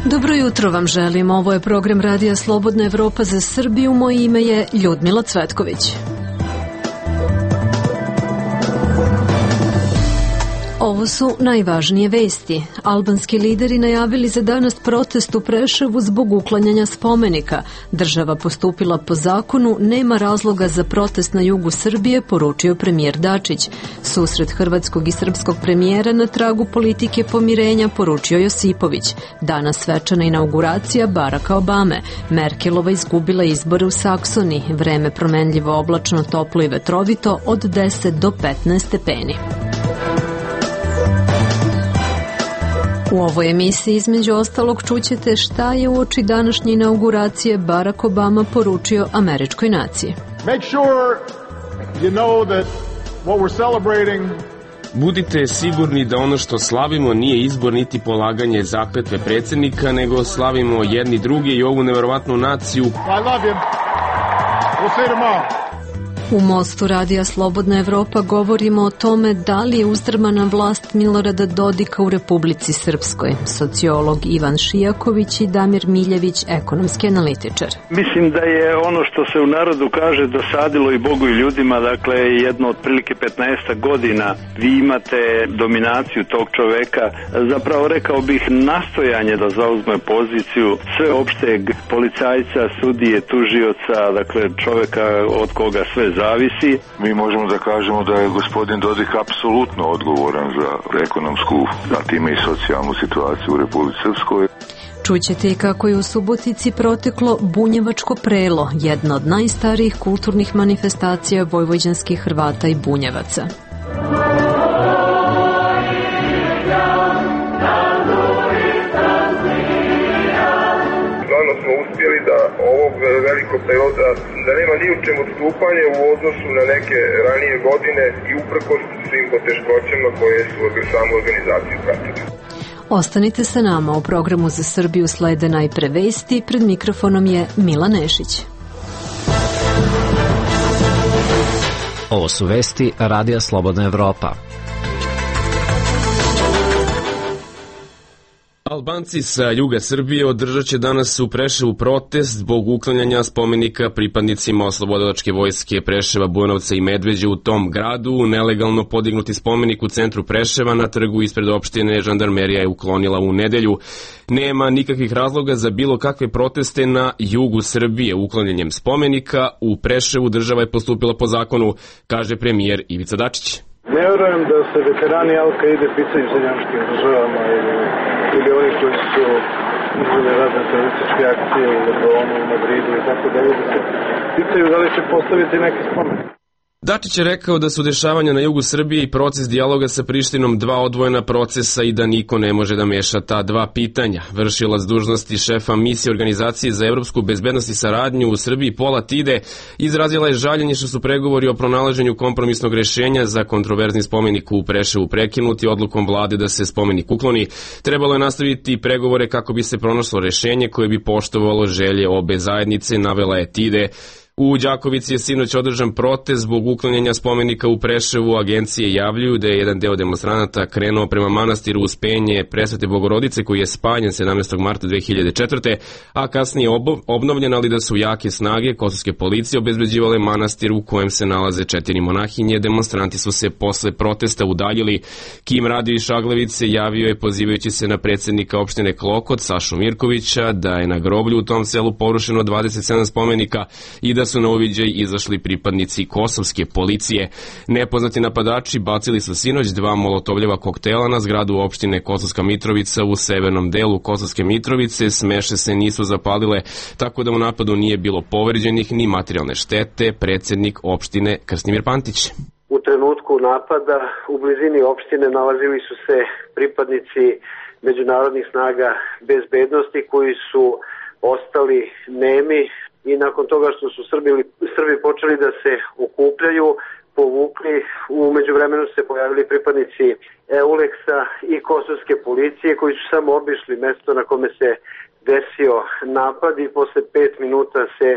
Dobro jutro vam želim. Ovo je program Radija Slobodna Evropa za Srbiju. Moje ime je Ljudmila Cvetković. Ovo su najvažnije vesti. Albanski lideri najavili za danas protest u Preševu zbog uklanjanja spomenika. Država postupila po zakonu, nema razloga za protest na jugu Srbije, poručio premijer Dačić. Susret hrvatskog i srpskog premijera na tragu politike pomirenja, poručio Josipović. Danas svečana inauguracija Baracka Obame. Merkelova izgubila izbore u Saksoni. Vreme promenljivo oblačno, toplo i vetrovito od 10 do 15 stepeni. U ovoj emisiji između ostalog čućete šta je uoči današnje inauguracije Barack Obama poručio američkoj naciji. Budite sigurni da ono što slavimo nije izbor niti polaganje zakletve predsjednika, nego slavimo jedni drugi i ovu neverovatnu naciju. U Mostu Radija Slobodna Evropa govorimo o tome da li je uzdrmana vlast Milorada Dodika u Republici Srpskoj. Sociolog Ivan Šijaković i Damir Miljević, ekonomski analitičar. Mislim da je ono što se u narodu kaže dosadilo i Bogu i ljudima, dakle jedno otprilike 15 godina vi imate dominaciju tog čoveka, zapravo rekao bih nastojanje da zauzme poziciju sveopšteg policajca, sudije, tužioca, dakle čoveka od koga sve zavisi. Mi možemo da kažemo da je gospodin Dodik apsolutno odgovoran za ekonomsku, a time i socijalnu situaciju u Republici Srpskoj. Čućete i kako je u Subotici proteklo Bunjevačko prelo, jedna od najstarijih kulturnih manifestacija vojvođanskih Hrvata i Bunjevaca. Smo uspjeli da ovog velikog perioda da nema ni u čemu odstupanje u odnosu na neke ranije godine i uprkos svim poteškoćama koje su samu organizaciju pratili. Ostanite sa nama, u programu za Srbiju slede najpre vesti, pred mikrofonom je Mila Nešić. Ovo su vesti Radija Slobodna Evropa. Albanci sa juga Srbije održat će danas u Preševu protest zbog uklanjanja spomenika pripadnicima Oslobodilačke vojske Preševa, Bujanovca i Medveđe u tom gradu. Nelegalno podignuti spomenik u centru Preševa na trgu ispred opštine žandarmerija je uklonila u nedelju. Nema nikakvih razloga za bilo kakve proteste na jugu Srbije. Uklanjanjem spomenika u Preševu država je postupila po zakonu, kaže premijer Ivica Dačić. Ne vjerujem da se veterani Al-Kaide pitaju zemljanskim državama ili oni koji su izveli razne terorističke akcije u Londonu, u Madridu i tako dalje, da se pitaju da li će postaviti neki spomenik. Dačić je rekao da su dešavanja na jugu Srbije i proces dijaloga sa Prištinom dva odvojena procesa i da niko ne može da meša ta dva pitanja. Vršilac dužnosti šefa misije Organizacije za evropsku bezbednost i saradnju u Srbiji Pola Tide izrazila je žaljenje što su pregovori o pronalaženju kompromisnog rešenja za kontroverzni spomenik u Preševu prekinuti odlukom vlade da se spomenik ukloni. Trebalo je nastaviti pregovore kako bi se pronašlo rešenje koje bi poštovalo želje obe zajednice, navela je Tide. U Đakovici je sinoć održan protest zbog uklanjanja spomenika u Preševu. Agencije javljaju da je jedan deo demonstranata krenuo prema manastiru Uspenje Presvete Bogorodice koji je spaljen 17. marta 2004. a kasnije obnovljen, ali da su jake snage kosovske policije obezbeđivale manastir u kojem se nalaze 4 monahinje. Demonstranti su se posle protesta udaljili. Kim Radio iz Šaglavice javio je pozivajući se na predsjednika opštine Klokot Sašu Mirkovića da je na groblju u tom selu porušeno 27 spomenika i da su na uviđaj izašli pripadnici kosovske policije. Nepoznati napadači bacili su sinoć 2 molotovljeva koktela na zgradu opštine Kosovska Mitrovica u severnom delu Kosovske Mitrovice. Smeše se nisu zapalile, tako da u napadu nije bilo povređenih ni materijalne štete, predsjednik opštine Krstimir Pantić. U trenutku napada u blizini opštine nalazili su se pripadnici međunarodnih snaga bezbednosti koji su ostali nemi i nakon toga što su Srbi počeli da se okupljaju, povukli, u međuvremenu se pojavili pripadnici EULEX-a i kosovske policije koji su samo obišli mesto na kome se desio napad i posle 5 minuta se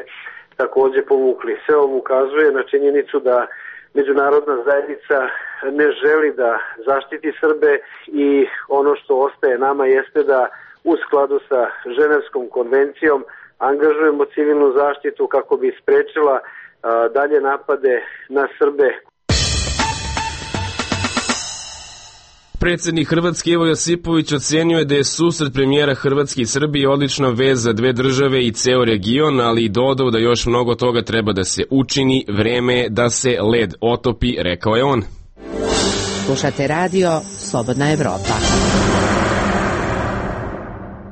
takođe povukli. Sve ovo ukazuje na činjenicu da međunarodna zajednica ne želi da zaštiti Srbe i ono što ostaje nama jeste da u skladu sa Ženevskom konvencijom angažujemo civilnu zaštitu kako bi sprečila dalje napade na Srbe. Predsjednik Hrvatske Ivo Josipović ocenio je da je susret premijera Hrvatske i Srbije odlična vez za dve države i ceo region, ali i dodao da još mnogo toga treba da se učini, vreme je da se led otopi, rekao je on. Slušate radio Slobodna Evropa.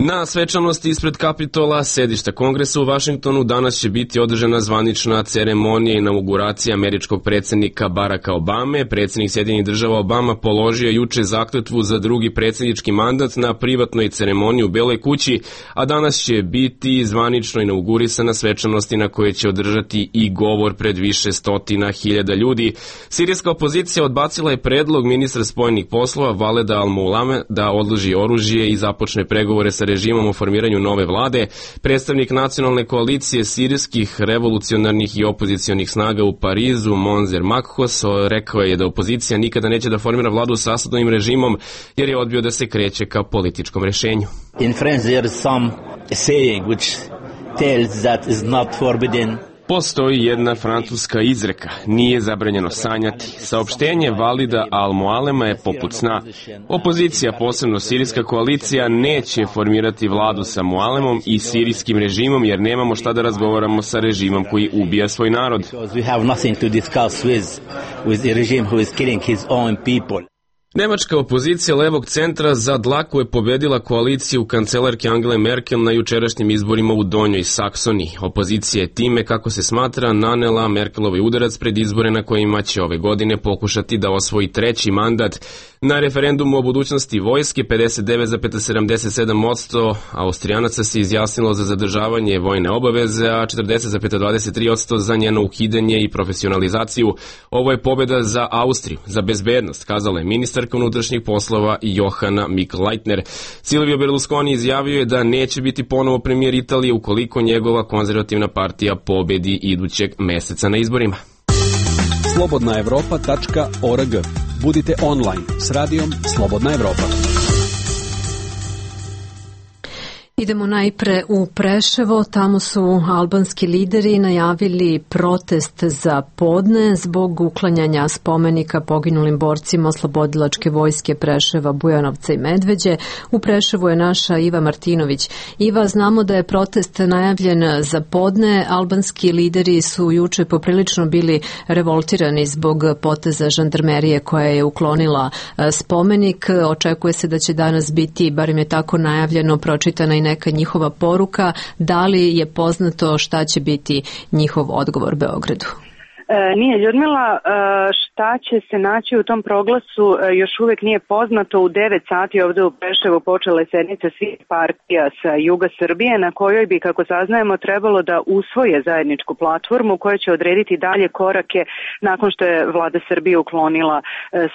Na svečanosti ispred Kapitola, sedišta Kongresa u Vašingtonu, danas će biti održana zvanična ceremonija inauguracije američkog predsjednika Baracka Obame. Predsjednik Sjedinjenih Država Obama položio juče zakletvu za drugi predsjednički mandat na privatnoj ceremoniji u Beloj kući, a danas će biti zvanično inaugurisana svečanosti na koje će održati i govor pred više stotina hiljada ljudi. Sirijska opozicija odbacila je predlog ministra spojenih poslova Valeda Al-Moallame da odloži oružje i započne pregovore sa režimom o formiranju nove vlade. Predstavnik nacionalne koalicije sirijskih revolucionarnih i opozicionih snaga u Parizu, Monzer Makhos, rekao je da opozicija nikada neće da formira vladu sa Asadovim režimom jer je odbio da se kreće ka političkom rešenju. In France there is some saying which tells that is not forbidden. Postoji jedna francuska izreka, nije zabranjeno sanjati. Saopštenje Valida Al-Moallema je poput sna. Opozicija, posebno sirijska koalicija, neće formirati vladu sa Moallemom i sirijskim režimom jer nemamo šta da razgovaramo sa režimom koji ubija svoj narod. Nemačka opozicija levog centra za dlaku je pobedila koaliciju kancelarke Angele Merkel na jučerašnjim izborima u Donjoj Saksoniji. Opozicija je time, kako se smatra, nanela Merkelovoj udarac pred izbore na kojima će ove godine pokušati da osvoji treći mandat. Na referendumu o budućnosti vojske 59,77% Austrijanaca se izjasnilo za zadržavanje vojne obaveze, a 40,23% za njeno ukidanje i profesionalizaciju. Ovo je pobjeda za Austriju, za bezbednost, kazala je ministarka unutrašnjih poslova Johanna Mikl-Leitner. Silvio Berlusconi izjavio je da neće biti ponovo premijer Italije ukoliko njegova konzervativna partija pobedi idućeg meseca na izborima. slobodnaevropa.org. Budite online s radijom Slobodna Evropa. Idemo najpre u Preševo, tamo su albanski lideri najavili protest za podne zbog uklanjanja spomenika poginulim borcima Oslobodilačke vojske Preševa, Bujanovca i Medveđe. U Preševu je naša Iva Martinović. Iva, znamo da je protest najavljen za podne. Albanski lideri su juče poprilično bili revoltirani zbog poteza žandarmerije koja je uklonila spomenik. Očekuje se da će danas biti, barem je tako najavljeno, pročitana i neka njihova poruka. Da li je poznato šta će biti njihov odgovor Beogradu? Nije, Ljudmila, šta će se naći u tom proglasu još uvijek nije poznato. U 9 sati ovdje u Preševu počela je sednica svih partija sa juga Srbije na kojoj bi, kako saznajemo, trebalo da usvoje zajedničku platformu koja će odrediti dalje korake nakon što je vlada Srbije uklonila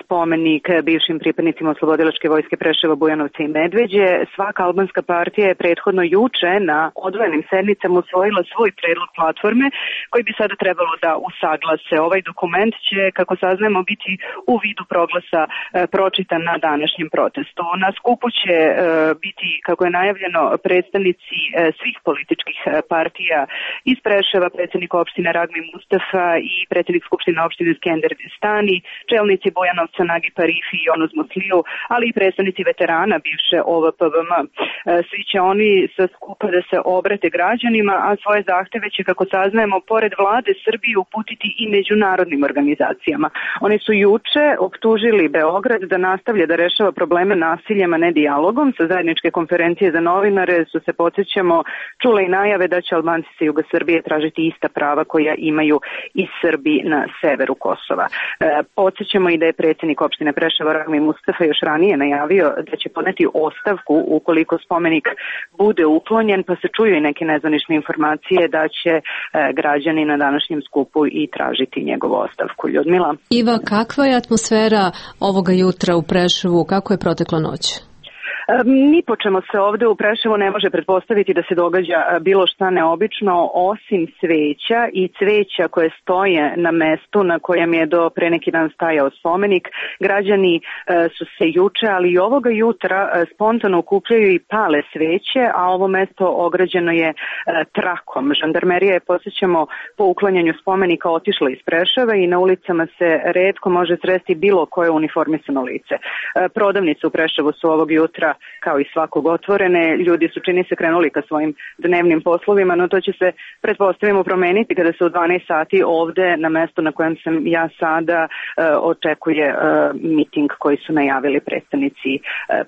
spomenik bivšim pripadnicima Oslobodilačke vojske Preševa, Bujanovca i Medveđe. Svaka albanska partija je prethodno juče na odvojenim sednicama usvojila svoj predlog platforme koji bi sada trebalo da usaglase. Ovaj dokument će, kako saznajemo, biti u vidu proglasa pročitan na današnjem protestu. Na skupu će biti, kako je najavljeno, predstavnici svih političkih partija iz Preševa, predsjednik opštine Ragmi Mustafa i predsjednik skupštine opštine Skender Stani, čelnici Bujanovca Nagi Parifi i Onuz Musliju, ali i predstavnici veterana bivše OVPVM. Svi će oni sa skupa da se obrate građanima, a svoje zahteve će, kako saznajemo, pored vlade Srbije uputiti i međunarodnim organizacijama. Oni su juče optužili Beograd da nastavlja da rešava probleme nasiljem, a ne dijalogom. Sa zajedničke konferencije za novinare su se, podsjećamo, čule i najave da će Albanci sa juga Srbije tražiti ista prava koja imaju i Srbi na severu Kosova. Podsjećamo i da je predsjednik opštine Preševa Ragmi Mustafa još ranije najavio da će podneti ostavku ukoliko spomenik bude uklonjen, pa se čuju i neke nezvanične informacije da će građani na današnjem skupu i tražiti njegovu ostavku. Ljudmila? Iva, kakva je atmosfera ovoga jutra u Preševu? Kako je protekla noć? Ni po čemu se ovde u Preševu ne može pretpostaviti da se događa bilo šta neobično, osim sveća i cveća koje stoje na mestu na kojem je do pre neki dan stajao spomenik. Građani su se juče, ali i ovoga jutra spontano okupljaju i pale sveće, a ovo mesto ograđeno je trakom. Žandarmerija je, podsjećamo, po uklanjanju spomenika otišla iz Preševa i na ulicama se retko može sresti bilo koje uniformisano lice. Prodavnice u Preševu su ovog jutra, kao i svakog, otvorene. Ljudi su, čini se, krenuli ka svojim dnevnim poslovima, no to će se, pretpostavimo, promeniti kada se u 12 sati ovde, na mestu na kojem sam ja sada, očekuje miting koji su najavili predstavnici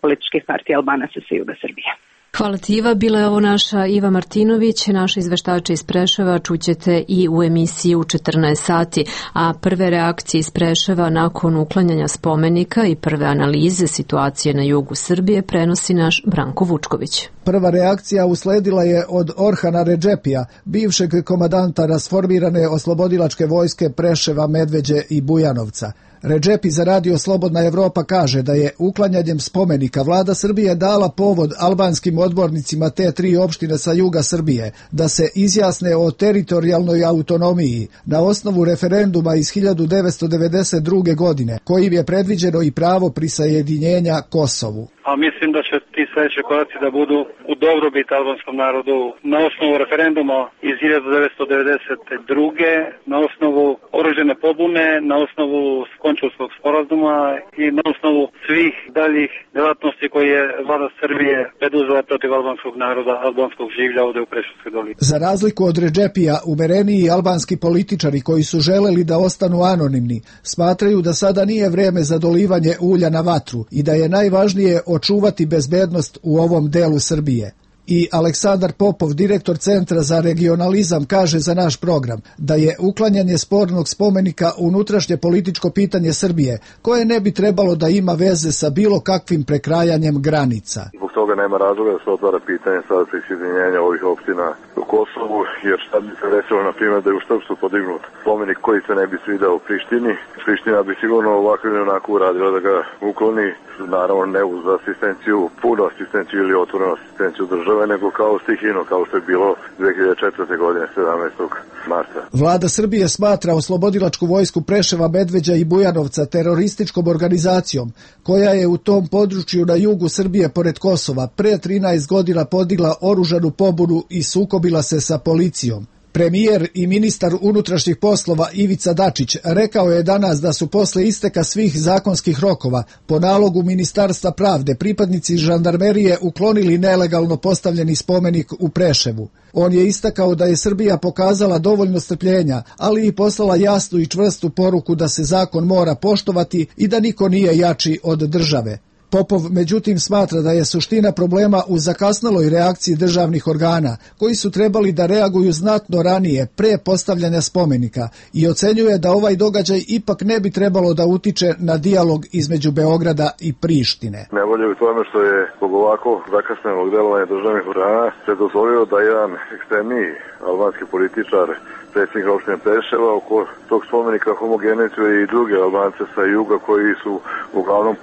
političkih partija Albanaca sa juga Srbije. Hvala ti, Iva. Bila je ovo naša Iva Martinović, naša izveštača iz Preševa. Čućete i u emisiji u 14 sati. A prve reakcije iz Preševa nakon uklanjanja spomenika i prve analize situacije na jugu Srbije prenosi naš Branko Vučković. Prva reakcija usledila je od Orhana Redžepija, bivšeg komadanta rasformirane oslobodilačke vojske Preševa, Medveđe i Bujanovca. Redžepi za Radio Slobodna Evropa kaže da je uklanjanjem spomenika vlada Srbije dala povod albanskim odbornicima te tri opštine sa juga Srbije da se izjasne o teritorijalnoj autonomiji na osnovu referenduma iz 1992. godine, kojim je predviđeno i pravo prisajedinjenja Kosovu. A mislim da će ti sledeći koraci da budu u dobrobit albanskom narodu na osnovu referenduma iz 1992. na osnovu oružane pobune, na osnovu Končulskog sporazuma i na osnovu svih daljih delatnosti koje je vlada Srbije preduzela protiv albanskog naroda, albanskog življa ovde u Preševskoj dolini. Za razliku od Redžepija, umereniji albanski političari koji su želeli da ostanu anonimni, smatraju da sada nije vreme za dolivanje ulja na vatru i da je najvažnije očuvati bezbednost u ovom delu Srbije. I Aleksandar Popov, direktor Centra za regionalizam, kaže za naš program da je uklanjanje spornog spomenika unutrašnje političko pitanje Srbije, koje ne bi trebalo da ima veze sa bilo kakvim prekrajanjem granica. Zbog toga nema razloga da se otvara pitanje sada prisajedinjenja ovih opština u Kosovu, jer šta bi se desilo, na primjer, da je u Štrpcu podignut spomenik koji se ne bi svidao u Prištini. Priština bi sigurno ovako ili onako uradila da ga ukloni, naravno ne uz asistenciju, punu asistenciju ili otvorenu asistenciju države, nego kao stihino, kao što je bilo 2004. godine, 17. marta. Vlada Srbije smatra oslobodilačku vojsku Preševa, Medveđa i Bujanovca terorističkom organizacijom, koja je u tom području na jugu Srbije pored Kosova pre 13 godina podigla oružanu pobunu i sukobila se sa policijom. Premijer i ministar unutrašnjih poslova Ivica Dačić rekao je danas da su posle isteka svih zakonskih rokova po nalogu Ministarstva pravde pripadnici žandarmerije uklonili nelegalno postavljeni spomenik u Preševu. On je istakao da je Srbija pokazala dovoljno strpljenja, ali i poslala jasnu i čvrstu poruku da se zakon mora poštovati i da niko nije jači od države. Popov međutim smatra da je suština problema u zakasneloj reakciji državnih organa, koji su trebali da reaguju znatno ranije, pre postavljanja spomenika, i ocenjuje da ovaj događaj ipak ne bi trebalo da utiče na dijalog između Beograda i Prištine. Nevolje u tome što je zbog ovako zakasnelog delovanja državnih organa se dozvolio da jedan ekstremniji albanski političar, predsjednik opštine Preševa, oko tog spomenika homogenizuje i druge Albance sa juga koji su uglavnom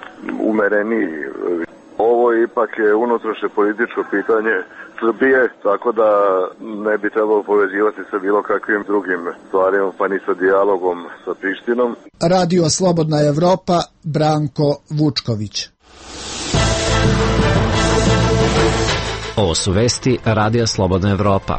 umereniji. Ovo ipak je unutrašnje političko pitanje Srbije, tako da ne bi trebalo povezivati sa bilo kakvim drugim stvarima, pa ni sa dijalogom sa Prištinom. Radio Slobodna Evropa, Branko Vučković. Ovo su vesti Radija Slobodna Evropa.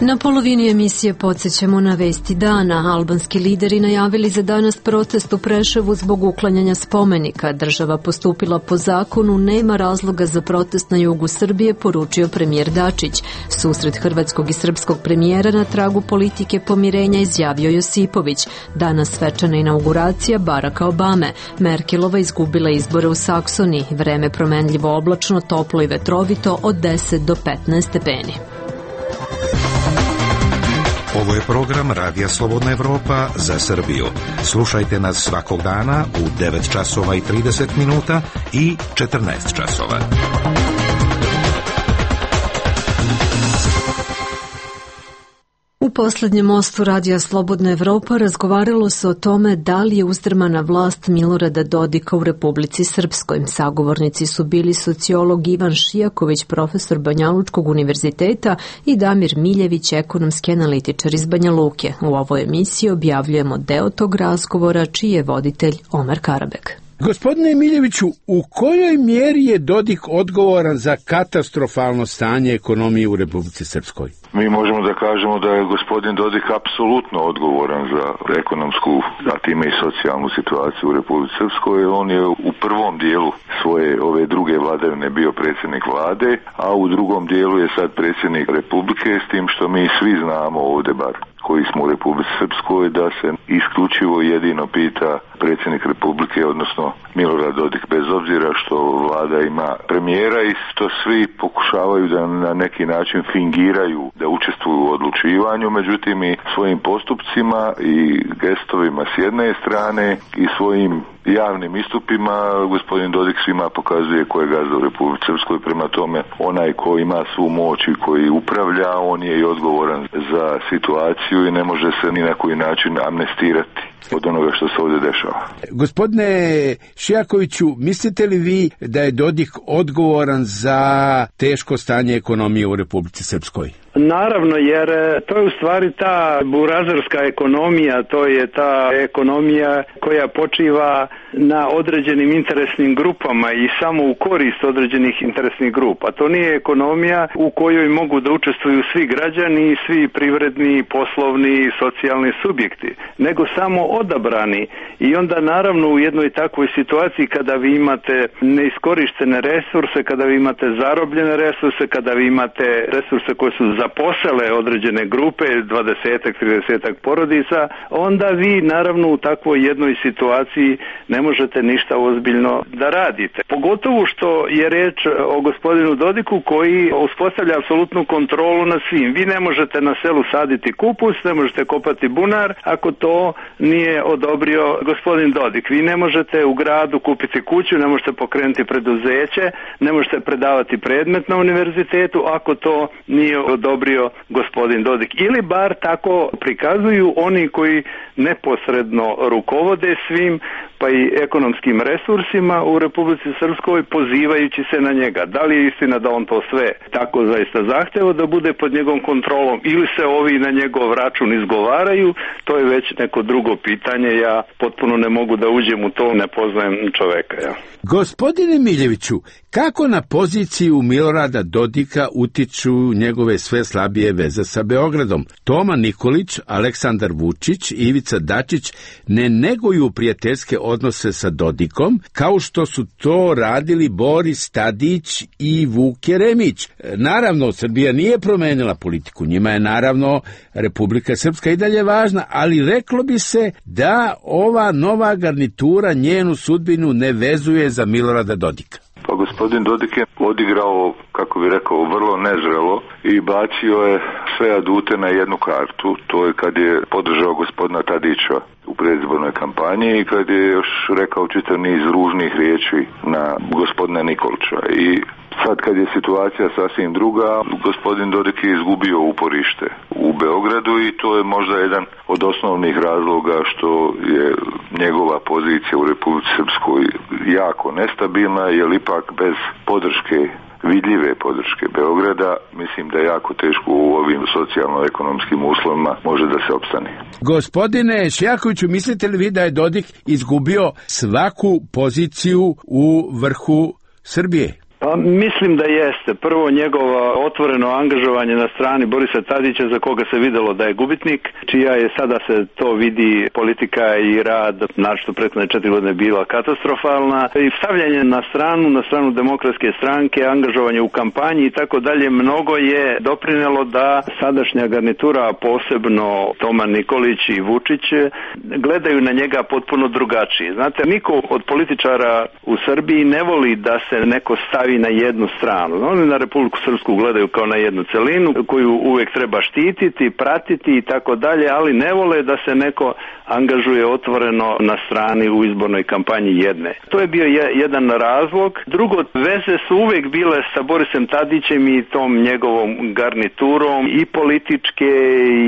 Na polovini emisije podsjećamo na vesti dana. Albanski lideri najavili za danas protest u Preševu zbog uklanjanja spomenika. Država postupila po zakonu, nema razloga za protest na jugu Srbije, poručio premijer Dačić. Susret hrvatskog i srpskog premijera na tragu politike pomirenja izjavio Josipović. Danas svečana inauguracija Baracka Obame. Merkelova izgubila izbore u Saksoniji. Vreme promenljivo oblačno, toplo i vetrovito od 10 do 15 stepeni. Ovo je program Radija Slobodna Evropa za Srbiju. Slušajte nas svakog dana u 9 časova i 30 minuta i 14 časova. U posljednjem mostu Radija Slobodna Evropa razgovaralo se o tome da li je uzdrmana vlast Milorada Dodika u Republici Srpskoj. Sagovornici su bili sociolog Ivan Šijaković, profesor Banjalučkog univerziteta, i Damir Miljević, ekonomski analitičar iz Banja Luke. U ovoj emisiji objavljujemo deo tog razgovora, čiji je voditelj Omar Karabek. Gospodine Miljeviću, u kojoj mjeri je Dodik odgovoran za katastrofalno stanje ekonomije u Republici Srpskoj? Mi možemo da kažemo da je gospodin Dodik apsolutno odgovoran za ekonomsku, a time i socijalnu situaciju u Republici Srpskoj. On je u prvom dijelu svoje ove druge vladavine bio predsjednik vlade, a u drugom dijelu je sad predsjednik Republike, s tim što mi svi znamo ovdje bar koji smo u Republici Srpskoj da se isključivo jedino pita predsjednik Republike, odnosno Milorad Dodik, bez obzira što vlada ima premijera i što svi pokušavaju da na neki način fingiraju da učestvuju u odlučivanju, međutim i svojim postupcima i gestovima s jedne strane i svojim javnim istupima gospodin Dodik svima pokazuje ko je gazda u Republici Srpskoj. Prema tome, onaj ko ima svu moć i koji upravlja, on je i odgovoran za situaciju i ne može se ni na koji način amnestirati od onoga što se ovdje dešava. Gospodine Šijakoviću, mislite li vi da je Dodik odgovoran za teško stanje ekonomije u Republici Srpskoj? Naravno, jer to je u stvari ta burazerska ekonomija, to je ta ekonomija koja počiva na određenim interesnim grupama i samo u korist određenih interesnih grupa. To nije ekonomija u kojoj mogu da učestvuju svi građani, svi privredni, poslovni, socijalni subjekti, nego samo odabrani. I onda naravno u jednoj takvoj situaciji kada vi imate neiskorištene resurse, kada vi imate zarobljene resurse, kada vi imate resurse koje su zaposele određene grupe, 20-ak, 30-ak porodica, onda vi naravno u takvoj jednoj situaciji ne možete ništa ozbiljno da radite. Pogotovo što je reč o gospodinu Dodiku koji uspostavlja apsolutnu kontrolu nad svim. Vi ne možete na selu saditi kupus, ne možete kopati bunar ako to nije odobrio gospodin Dodik. Vi ne možete u gradu kupiti kuću, ne možete pokrenuti preduzeće, ne možete predavati predmet na univerzitetu ako to nije odobrio gospodin Dodik. Ili bar tako prikazuju oni koji neposredno rukovode svim pa i ekonomskim resursima u Republici Srpskoj pozivajući se na njega. Da li je istina da on to sve tako zaista zahteva da bude pod njegovom kontrolom ili se ovi na njegov račun izgovaraju, to je već neko drugo pitanje. Ja potpuno ne mogu da uđem u to, ne poznajem čoveka. Ja. Gospodine Miljeviću, kako na poziciju Milorada Dodika utiču njegove sve slabije veze sa Beogradom? Toma Nikolić, Aleksandar Vučić i Ivica Dačić ne neguju prijateljske odnose sa Dodikom, kao što su to radili Boris Tadić i Vuk Jeremić. Naravno, Srbija nije promenila politiku, njima je naravno Republika Srpska i dalje važna, ali reklo bi se da ova nova garnitura njenu sudbinu ne vezuje za Milorada Dodika. Pa gospodin Dodik je odigrao, kako bi rekao, vrlo nezrelo i bacio je sve adute na jednu kartu. To je kad je podržao gospodina Tadića u predizbornoj kampanji i kad je još rekao čitav niz ružnih riječi na gospodina Nikolića. I sad kad je situacija sasvim druga, gospodin Dodik je izgubio uporište u Beogradu i to je možda jedan od osnovnih razloga što je njegova pozicija u Republici Srpskoj jako nestabilna, jer ipak bez podrške, vidljive podrške Beograda, mislim da je jako teško u ovim socijalno-ekonomskim uslovima može da se opstane. Gospodine Šijakoviću, mislite li vi da je Dodik izgubio svaku poziciju u vrhu Srbije? Pa mislim da jeste. Prvo njegovo otvoreno angažovanje na strani Borisa Tadića, za koga se videlo da je gubitnik, čija je sada se to vidi politika i rad, našto prethodne 4 godine bila katastrofalna, i stavljanje na stranu Demokratske stranke, angažovanje u kampanji i tako dalje, mnogo je doprinelo da sadašnja garnitura, posebno Toma Nikolić i Vučić, gledaju na njega potpuno drugačije. Znate, niko od političara u Srbiji ne voli da se neko stavi stavi na jednu stranu. Oni na Republiku Srpsku gledaju kao na jednu celinu koju uvek treba štititi, pratiti i tako dalje, ali ne vole da se neko angažuje otvoreno na strani u izbornoj kampanji jedne. To je bio jedan razlog. Drugo, veze su uvek bile sa Borisem Tadićem i tom njegovom garniturom, i političke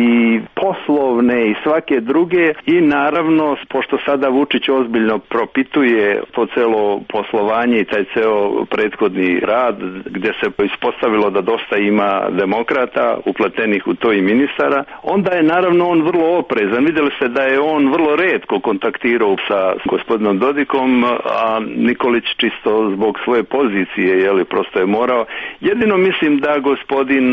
i poslovne i svake druge, i naravno, pošto sada Vučić ozbiljno propituje to celo poslovanje i taj ceo prethodni rad, gde se ispostavilo da dosta ima demokrata upletenih u to i ministara, onda je naravno on vrlo oprezan. Videli ste da je on vrlo retko kontaktirao sa gospodinom Dodikom, a Nikolić čisto zbog svoje pozicije, prosto je morao. Jedino mislim da gospodin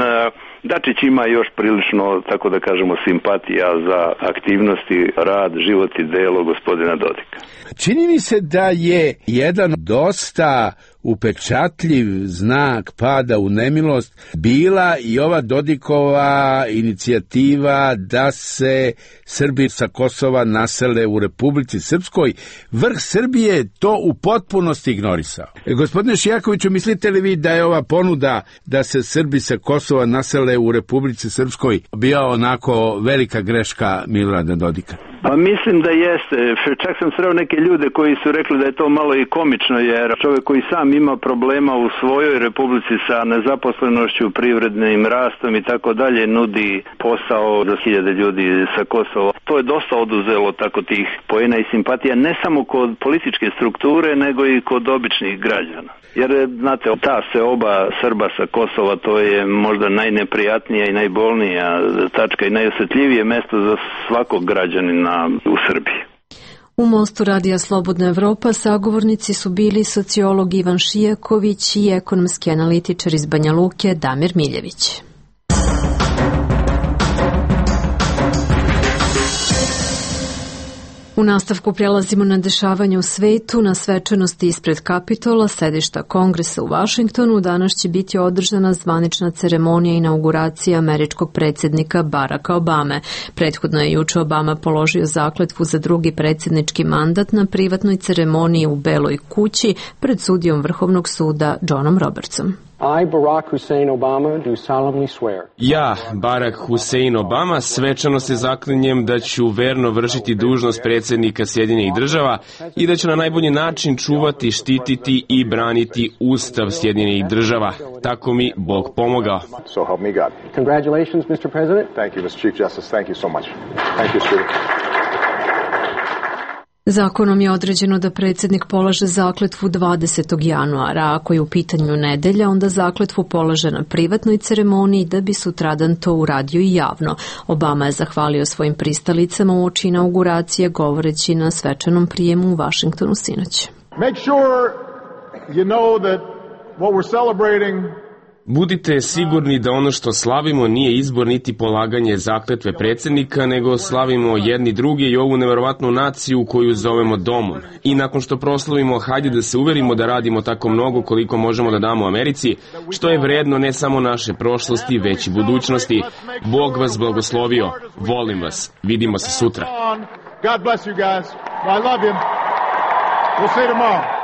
Dačić ima još prilično, tako da kažemo, simpatija za aktivnosti, rad, život i delo gospodina Dodika. Čini mi se da je jedan dosta upečatljiv znak pada u nemilost bila i ova Dodikova inicijativa da se Srbi sa Kosova nasele u Republici Srpskoj. Vrh Srbije je to u potpunosti ignorisao. Gospodine Šijakoviću, mislite li vi da je ova ponuda da se Srbi sa Kosova nasele u Republici Srpskoj bila onako velika greška Milorada Dodika? Pa mislim da jeste. Čak sam sreo neke ljude koji su rekli da je to malo i komično, jer čovjek koji sam ima problema u svojoj republici sa nezaposlenošću, privrednim rastom i tako dalje, nudi posao za 1000 ljudi sa Kosova. To je dosta oduzelo tako tih poena i simpatija, ne samo kod političke strukture, nego i kod običnih građana. Jer, znate, ta seoba Srba sa Kosova, to je možda najneprijatnija i najbolnija tačka i najosjetljivije mesto za svakog građanina u Srbiji. U mostu Radija Slobodna Evropa sagovornici su bili sociolog Ivan Šijaković i ekonomski analitičar iz Banja Luke Damir Miljević. U nastavku prelazimo na dešavanje u svetu. Na svečanosti ispred Kapitola, sedišta Kongresa u Vašingtonu, danas će biti održana zvanična ceremonija inauguracije američkog predsjednika Baracka Obame. Prethodno je juče Obama položio zakletvu za drugi predsjednički mandat na privatnoj ceremoniji u Beloj kući pred sudijom Vrhovnog suda Johnom Robertsom. I, Barack Hussein Obama, do solemnly swear. Ja, Barack Hussein Obama, svečano se zaklinjem da ću verno vršiti dužnost predsjednika Sjedinjenih država i da ću na najbolji način čuvati, štititi i braniti Ustav Sjedinjenih država. Tako mi Bog pomogao. So help me God. Congratulations, Mr. President. Thank you, Mr. Chief Justice. Thank you so much. Thank you, Steve. Zakonom je određeno da predsjednik polaže zakletvu 20. januara, a ako je u pitanju nedelja, onda zakletvu polaže na privatnoj ceremoniji da bi sutradan to uradio i javno. Obama je zahvalio svojim pristalicama uoči inauguracije govoreći na svečanom prijemu u Vašingtonu sinoć. Make sure you know that what we're celebrating. Budite sigurni da ono što slavimo nije izbor niti polaganje zakletve predsjednika, nego slavimo jedni druge i ovu neverovatnu naciju koju zovemo domom. I nakon što proslavimo, hajde da se uverimo da radimo tako mnogo koliko možemo da damo Americi, što je vredno ne samo naše prošlosti, već i budućnosti. Bog vas blagoslovio. Volim vas. Vidimo se sutra. God bless you guys. I love you. We'll see you tomorrow.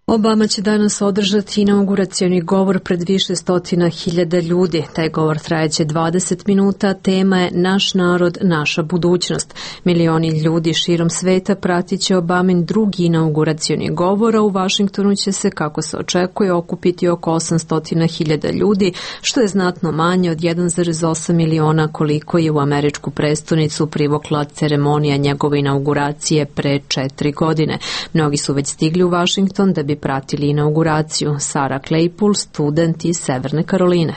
Obama će danas održati inauguracioni govor pred više stotina hiljada ljudi. Taj govor trajeće 20 minuta, tema je Naš narod, naša budućnost. Milioni ljudi širom sveta pratit će Obamin drugi inauguracioni govor, a u Vašingtonu će se, kako se očekuje, okupiti oko 800.000 ljudi, što je znatno manje od 1,8 miliona koliko je u američku prestonicu privukla ceremonija njegove inauguracije pre 4 godine. Mnogi su već stigli u Vašington da bi pratili inauguraciju. Sarah Claypool, student iz Severne Karoline.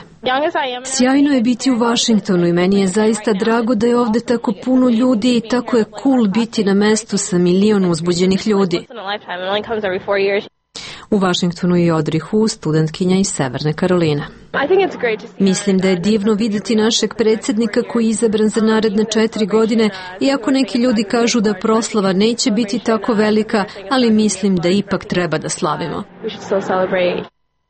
Sjajno je biti u Vašingtonu i meni je zaista drago da je ovde tako puno ljudi i tako je cool biti na mestu sa milion uzbuđenih ljudi. U Vašingtonu je Audrey Hu, studentkinja iz Severne Karoline. Mislim da je divno videti našeg predsjednika koji je izabran za naredne 4 godine, iako neki ljudi kažu da proslava neće biti tako velika, ali mislim da ipak treba da slavimo.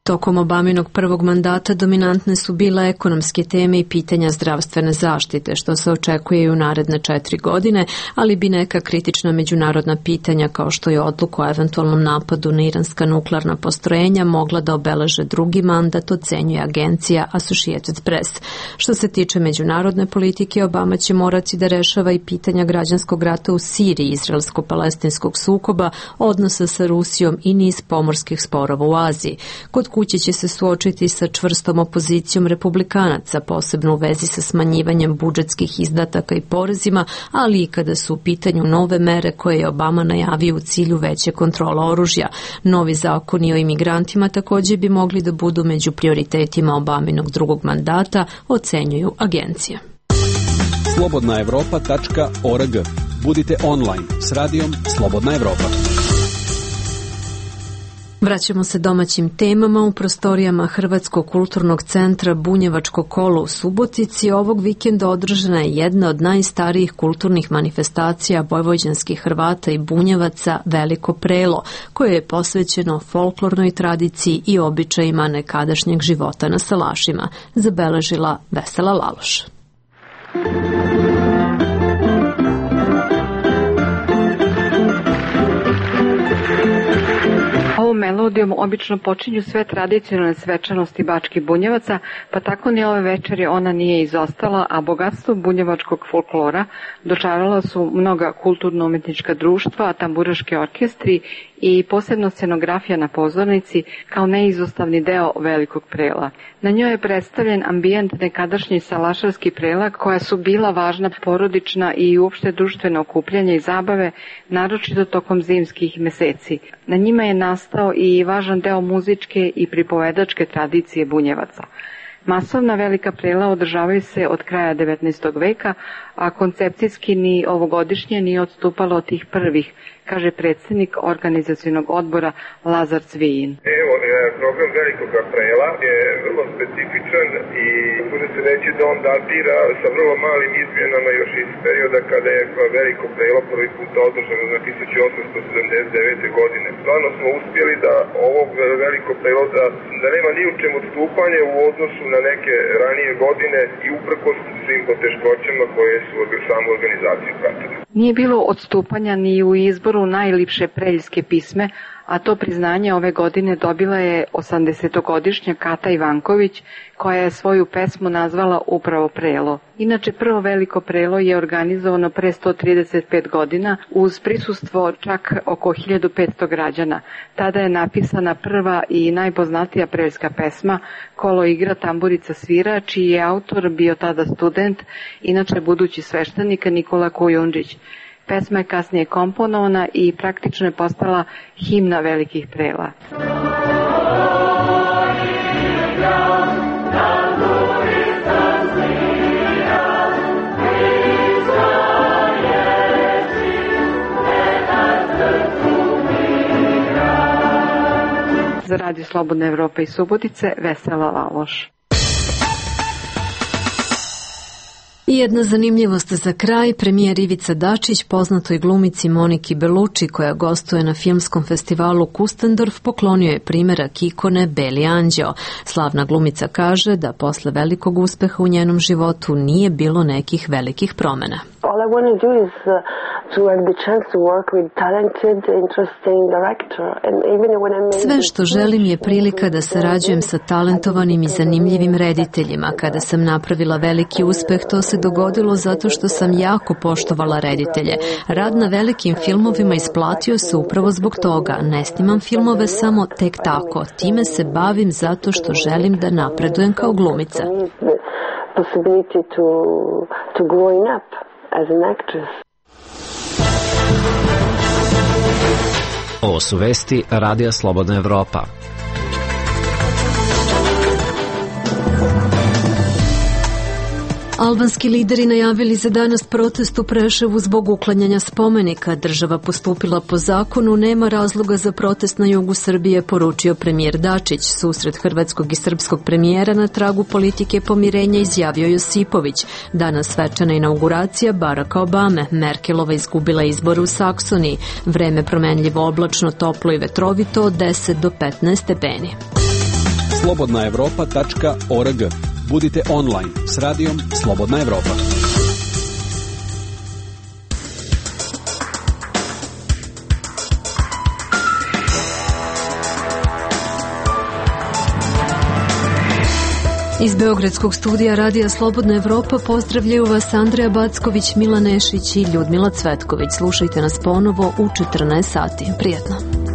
Tokom Obaminog prvog mandata dominantne su bile ekonomske teme i pitanja zdravstvene zaštite, što se očekuje i u naredne 4 godine, ali bi neka kritična međunarodna pitanja, kao što je odluka o eventualnom napadu na iranska nuklearna postrojenja, mogla da obeleže drugi mandat, ocenjuje agencija Associated Press. Što se tiče međunarodne politike, Obama će morati da rešava i pitanja građanskog rata u Siriji, izraelsko-palestinskog sukoba, odnosa sa Rusijom i niz pomorskih sporova u Aziji. Kod kuće će se suočiti sa čvrstom opozicijom republikanaca, posebno u vezi sa smanjivanjem budžetskih izdataka i porezima, ali i kada su u pitanju nove mere koje je Obama najavio u cilju veće kontrola oružja. Novi zakoni o imigrantima također bi mogli da budu među prioritetima Obaminog drugog mandata, ocenjuju agencije. slobodnaevropa.org. Budite online s radijom Slobodna Evropa. Vraćamo se domaćim temama. U prostorijama Hrvatskog kulturnog centra Bunjevačko kolo u Subotici ovog vikenda održana je jedna od najstarijih kulturnih manifestacija vojvođanskih Hrvata i Bunjevaca, Veliko prelo, koje je posvećeno folklornoj tradiciji i običajima nekadašnjeg života na salašima, zabeležila Vesela Laloš. Ovom melodijom obično počinju sve tradicionalne svečanosti Bačkih Bunjevaca, pa tako ni ove večeri ona nije izostala, a bogatstvo bunjevačkog folklora dočarala su mnoga kulturno-umetnička društva, tamburaški orkestri i posebno scenografija na pozornici kao neizostavni deo Velikog prela. Na njoj je predstavljen ambijent nekadašnji salašarski prela, koja su bila važna porodična i uopšte društveno okupljanje i zabave, naročito tokom zimskih meseci. Na njima je nastao i važan deo muzičke i pripovedačke tradicije Bunjevaca. Masovna velika prela održavaju se od kraja 19. veka, a koncepcijski ni ovogodišnje nije odstupalo od tih prvih, kaže predsjednik organizacionog odbora Lazar Cvijin. Evo, program Velikog prela je vrlo specifičan i bude se reći da on datira sa vrlo malim izmjenama još iz perioda kada je Veliko prelo prvi put održano na 1879. godine. Stvarno smo uspjeli da ovog Veliko prelo da nema ni u čemu odstupanje u odnosu na neke ranije godine i uprkos svim poteškoćama koje su samu organizaciju pratile. Nije bilo odstupanja ni u izboru najlipše preljske pisme, a to priznanje ove godine dobila je 80-godišnja Kata Ivanković, koja je svoju pesmu nazvala upravo Prelo. Inače, prvo Veliko prelo je organizovano pre 135 godina uz prisustvo čak oko 1500 građana. Tada je napisana prva i najpoznatija preljska pesma Kolo igra, tamburica svira, čiji je autor bio tada student, inače budući sveštenik Nikola Kujundžić. Pesma je kasnije komponovana i praktično je postala himna velikih prela. Za Radio Slobodna Evropa iz Subotice, Vesela Laloš. I jedna zanimljivost za kraj, premijer Ivica Dačić, poznatoj glumici Moniki Belucci, koja gostuje na filmskom festivalu Kustendorf, poklonio je primerak ikone Beli anđeo. Slavna glumica kaže da posle velikog uspeha u njenom životu nije bilo nekih velikih promena. All I want to do is to have the chance to work with talented, interesting director. And even when I made Sve što želim je prilika da sarađujem sa talentovanim i zanimljivim rediteljima. Kada sam napravila veliki uspeh, to se dogodilo zato što sam jako poštovala reditelje. Rad na velikim filmovima isplatio se upravo zbog toga. Ne snimam filmove samo tek tako. Time se bavim zato što želim da napredujem kao glumica. possibility to growing up as an actress. Ovo su vesti Radija Slobodna Evropa. Albanski lideri najavili za danas protest u Preševu zbog uklanjanja spomenika. Država postupila po zakonu, nema razloga za protest na jugu Srbije, poručio premijer Dačić. Susret hrvatskog i srpskog premijera na tragu politike pomirenja izjavio Josipović. Danas svečana inauguracija Baracka Obame. Merkelova izgubila izbore u Saksoniji. Vreme promenljivo oblačno, toplo i vetrovito od 10 do 15 stepeni. slobodnaevropa.org. Budite online s radijom Slobodna Evropa. Iz Beogradskog studija Radija Slobodna Evropa pozdravljaju vas Andreja Backović, Milan Nešić i Ljudmila Cvetković. Slušajte nas ponovo u 14 sati. Prijetno.